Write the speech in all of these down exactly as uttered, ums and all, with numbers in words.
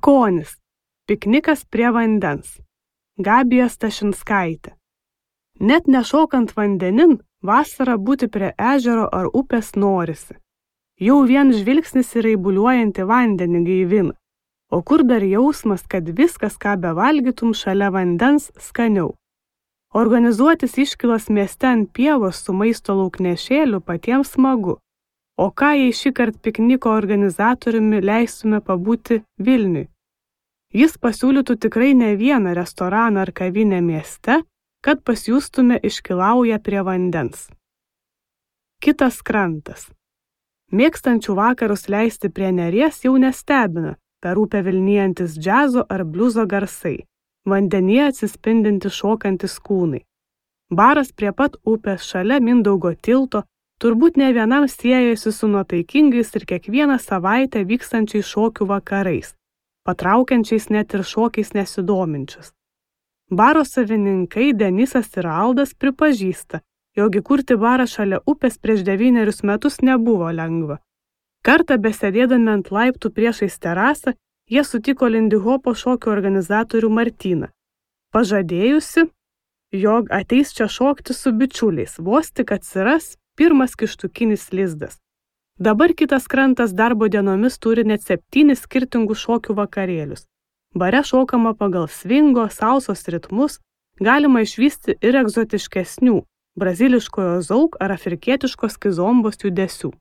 Skonis. Piknikas prie vandens. Gabija Stašinskaitė. Net nešokant vandenin, vasarą būti prie ežero ar upės norisi. Jau vien žvilgsnis į raibuliuojantį vandenį gaivina. O kur dar jausmas, kad viskas, ką bevalgytum šalia vandens, skaniau. Organizuotis iškylas mieste ant pievos su maisto lauknešėliu patiems smagu. O ką jei šįkart pikniko organizatoriumi leistume pabūti Vilniui? Jis pasiūlytų tikrai ne vieną restoraną ar kavinę mieste, kad pasijustume iškilauję prie vandens. Kitas krantas. Mėgstančių vakarus leisti prie Neries jau nestebina, per upę vilnijantis džiazo ar bliuzo garsai, vandenyje atsispindinti šokantis kūnai. Baras prie pat upės šalia Mindaugo tilto turbūt ne vienam siejasi su nuotaikingais ir kiekvieną savaitę vykstančiais šokių vakarais, patraukiančiais net ir šokiais nesidominčius. Baro savininkai Denisas ir Aldas pripažįsta, jog įkurti barą šalia upės prieš devynerius metus nebuvo lengva. Kartą besėdėdami ant laiptų priešais terasą, jie sutiko lindihopo šokių organizatorių Martyną, pažadėjusi, jog ateis čia šokti su bičiuliais, vos tik atsiras pirmas kištukinis lizdas. Dabar kitas krantas darbo dienomis turi net septynis skirtingus šokių vakarėlius. Bare šokama pagal svingo, salsos ritmus, galima išvysti ir egzotiškesnių, braziliškojo zauk ar afrikietiškos kizombos judesių.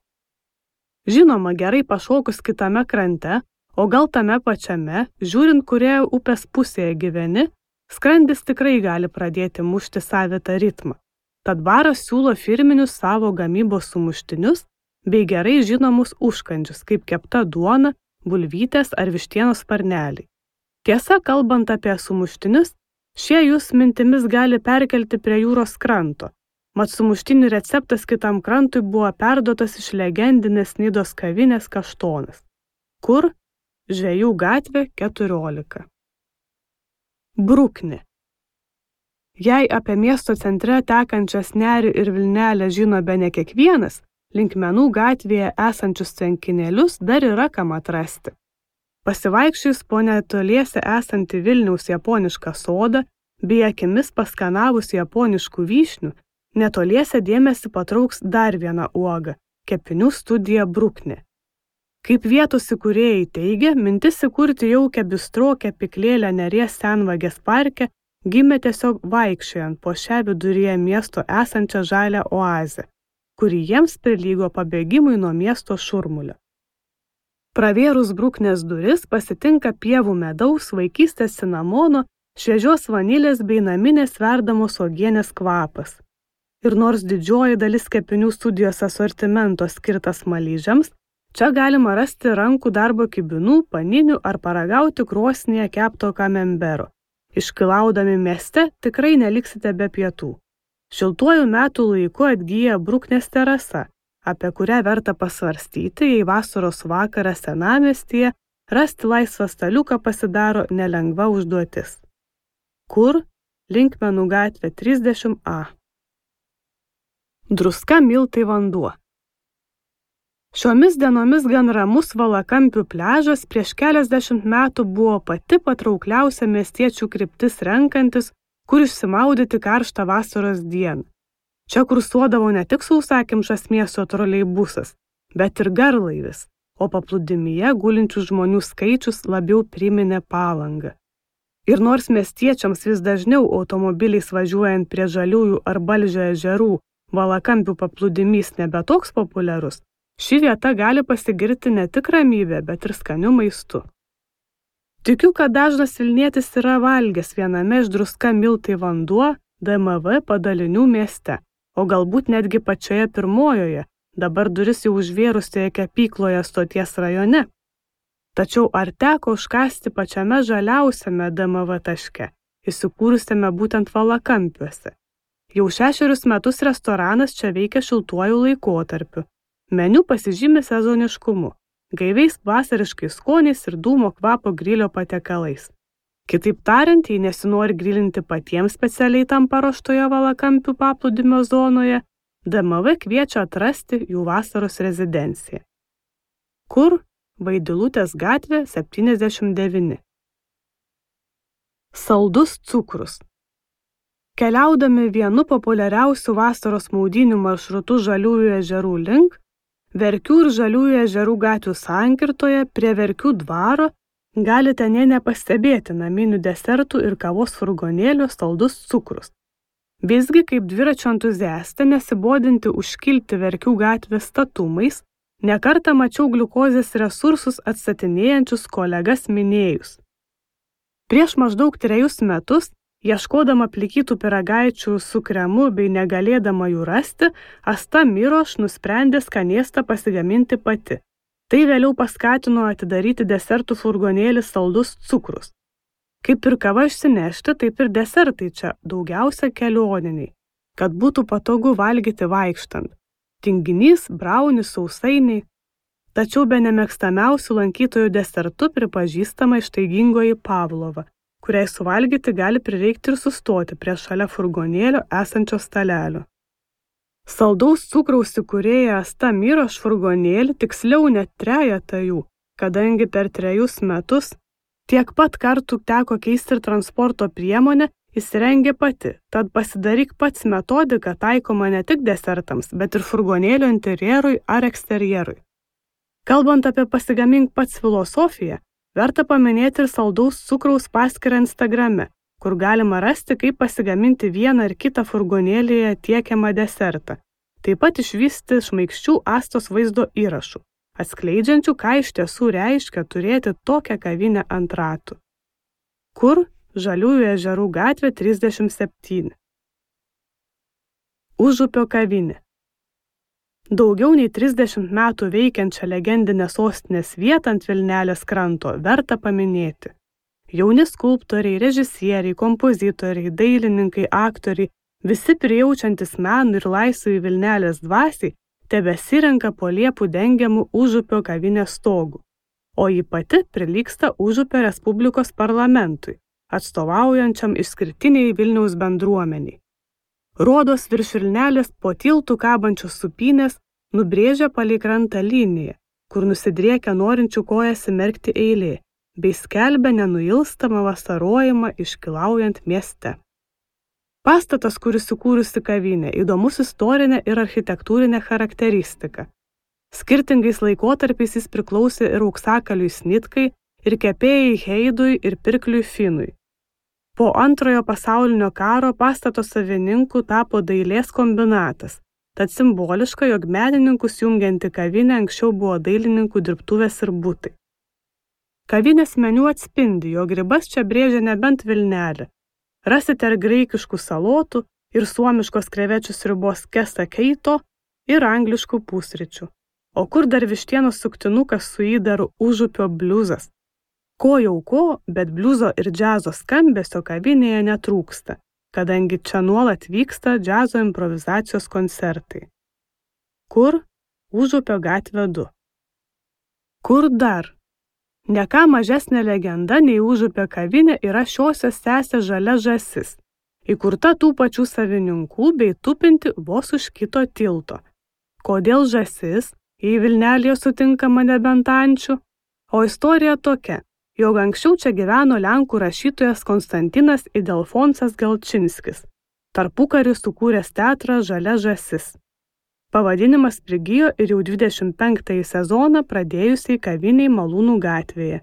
Žinoma, gerai pašokus kitame krante, o gal tame pačiame, žiūrint, kurioje upės pusėje gyveni, skrandis tikrai gali pradėti mušti savitą ritmą. Tad baras siūlo firminius savo gamybos sumuštinius bei gerai žinomus užkandžius, kaip kepta duona, bulvytės ar vištienos sparneliai. Tiesa, kalbant apie sumuštinius, šie jūs mintimis gali perkelti prie jūros kranto, mat sumuštinių receptas kitam krantui buvo perduotas iš legendinės Nidos kavinės Kaštonas, kur Žvejų gatvė keturiolika. Bruknė. Jei apie miesto centre tekančias Nerį ir Vilnelę žino bene kiekvienas, Linkmenų gatvėje esančius tvenkinėlius dar yra kam atrasti. Pasivaikščius po netoliese esantį Vilniaus japonišką sodą, bei akimis paskanavus japoniškų vyšnių, netoliese dėmesį patrauks dar viena uoga – kepinių studija Bruknė. Kaip vietos įkūrėjai teigia, mintis įkurti jaukią bistro kepyklėlę Neries Senvagės parke gimė tiesiog vaikščiojant po šią viduryje miesto esančią žalią oazę, kuri jiems prilygo pabėgimui nuo miesto šurmulio. Pravėrus Bruknės duris pasitinka pievų medaus, vaikystės cinamono, šviežios vanilės bei naminės verdamos uogienės kvapas. Ir nors didžioji dalis kepinių studijos asortimento skirtas malyžiams, čia galima rasti rankų darbo kibinų, paninių ar paragauti krosnyje kepto kamembero. Iškilaudami mieste tikrai neliksite be pietų. Šiltuoju metų laiku atgyja Bruknės terasa, apie kurią verta pasvarstyti, jei vasaros vakarą senamiestyje rasti laisvą staliuką pasidaro nelengva užduotis. Kur? Linkmenų gatvė trisdešimt A. Druska, miltai, vanduo. Šiomis dienomis gan ramus Valakampių pliažas prieš keliasdešimt metų buvo pati patraukliausia miestiečių kryptis renkantis, kur išsimaudyti karštą vasaros dieną. Čia kursuodavo ne tik sausakimšas miesto troleibusas, bet ir garlaivis, o paplūdimyje gulinčių žmonių skaičius labiau priminė Palangą. Ir nors miestiečiams vis dažniau automobiliais važiuojant prie Žaliųjų ar Balžio ežerų Valakampių paplūdimys nebe toks populiarus, ši vieta gali pasigirti ne tik ramybė, bet ir skaniu maistu. Tikiu, kad dažnas vilnietis yra valgęs viename iš Druska, miltai, vanduo D M V padalinių mieste, o galbūt netgi pačioje pirmojoje, dabar duris jau užvėrusioje kepykloje Stoties rajone. Tačiau ar teko užkasti pačiame žaliausiame D M V taške, įsikūrusiame būtent Valakampiuose? Jau šešerius metus restoranas čia veikia šiltuoju laikotarpiu. Meniu pasižymi sezoniškumu, gaiviais vasariškais skoniais ir dūmo kvapo grilio patiekalais. Kitaip tariant, jei nesinori grilinti patiems specialiai tam paruoštoje Valakampių paplūdimio zonoje, D M V kviečia atrasti jų vasaros rezidenciją. Kur? Vaidilutės gatvė septyniasdešimt devyni. Saldus cukrus. Keliaudami vienu populiariausių vasaros maudynių maršrutų Žaliųjų ežerų link, Verkių ir Žaliųjų ežerų gatvių sankirtoje prie Verkių dvaro galite nė nepastebėti naminių desertų ir kavos furgonėlių Saldus cukrus. Visgi, kaip dviračio entuziastė, nesibodinti užkilti Verkių gatvės statumais, nekartą mačiau gliukozės resursus atstatinėjančius kolegas minėjus. Prieš maždaug trejus metus, ieškodama plikytų pyragaičių su kremu bei negalėdama jų rasti, Asta Miroš nusprendė skanėstą pasigaminti pati. Tai vėliau paskatino atidaryti desertų furgonėlį Saldus cukrus. Kaip ir kava išsinešti, taip ir desertai čia daugiausia kelioniniai, kad būtų patogu valgyti vaikštant. Tinginys, braunis, sausainiai. Tačiau be nemėgstamiausių lankytojų desertų pripažįstama ištaigingoji Pavlova, kuriai suvalgyti gali prireikti ir sustoti prie šalia furgonėlio esančio stalelio. Saldaus cukraus įkūrėja Asta Miroš furgonėlį, tiksliau net trejetą jų, kadangi per trejus metus tiek pat kartų teko keisti ir transporto priemonę, įsirengė pati, tad pasidaryk pats metodika taikoma ne tik desertams, bet ir furgonėlio interjerui ar eksterjerui. Kalbant apie pasigamink pats filosofiją, verta paminėti ir Saldaus cukraus paskyrą Instagrame, kur galima rasti, kaip pasigaminti vieną ar kitą furgonėlėje tiekiamą desertą. Taip pat išvysti šmaikščių Astos vaizdo įrašų, atskleidžiančių, ką iš tiesų reiškia turėti tokią kavinę ant ratų. Kur? Žaliųjų ežerų gatvė trisdešimt septyni. Užupio kavinė. Daugiau nei trisdešimt metų veikiančią legendinę sostinės vietą ant Vilnelės kranto verta paminėti. Jauni skulptoriai, režisieriai, kompozitoriai, dailininkai, aktoriai, visi prijaučiantis menų ir laisvai Vilnelės dvasiai, tebesirenka po liepų dengiamų Užupio kavinės stogų, o ji pati prilygsta Užupio Respublikos parlamentui, atstovaujančiam išskirtiniai Vilniaus bendruomeniai. Rodos virš Vilnelės po tiltų kabančios supynės nubrėžia palei krantą liniją, kur nusidriekia norinčių kojas įmerkti eilė, bei skelbia nenuilstamą vasarojimą iškilaujant mieste. Pastatas, kuris įkūrusi kavinę, įdomus istorinė ir architektūrinė charakteristika. Skirtingais laikotarpiais jis priklausė ir auksakaliui Snitkai, ir kepėjai Heidui, ir pirkliui Finui. Po antrojo pasaulinio karo pastato savininku tapo dailės kombinatas, tad simboliška, jog menininkus jungianti kavinė anksčiau buvo dailininkų dirbtuvės ir butai. Kavinės meniu atspindi, jog ribas čia brėžia nebent Vilnelė. Rasite ir graikiškų salotų, ir suomiškos krevečių sriubos kesa keito, ir angliškų pusryčių. O kur dar vištienos suktinukas su įdaru Užupio bliuzas? Ko jau ko, bet bliuzo ir džiazo skambesio kavinėje netrūksta, kadangi čia nuolat vyksta džiazo improvizacijos koncertai. Kur? Užupio gatvė du. Kur dar? Ne ką mažesnė legenda nei Užupio kavinė yra šiosios sesė Žalia žąsis, įkurta tų pačių savininkų bei tupinti vos už kito tilto. Kodėl žąsis, jei Vilnelėje sutinkama nebent ančių? O istorija tokia, jog anksčiau čia gyveno lenkų rašytojas Konstantinas Idelfonsas Gelčinskis, tarpukariu sukūręs teatrą Žalia žąsis. Pavadinimas prigijo ir jau dvidešimt penktąjį sezoną pradėjusiai kaviniai Malūnų gatvėje.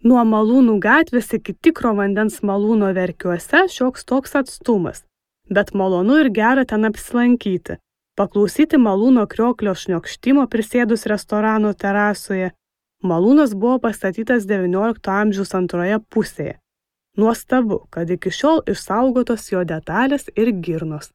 Nuo Malūnų gatvės iki tikro vandens malūno Verkiuose šioks toks atstumas, bet malonu ir gera ten apsilankyti, paklausyti malūno krioklio šniokštimo prisėdus restorano terasoje. Malūnas buvo pastatytas devyniolikto amžiaus antroje pusėje. Nuostabu, kad iki šiol išsaugotos jo detalės ir girnos.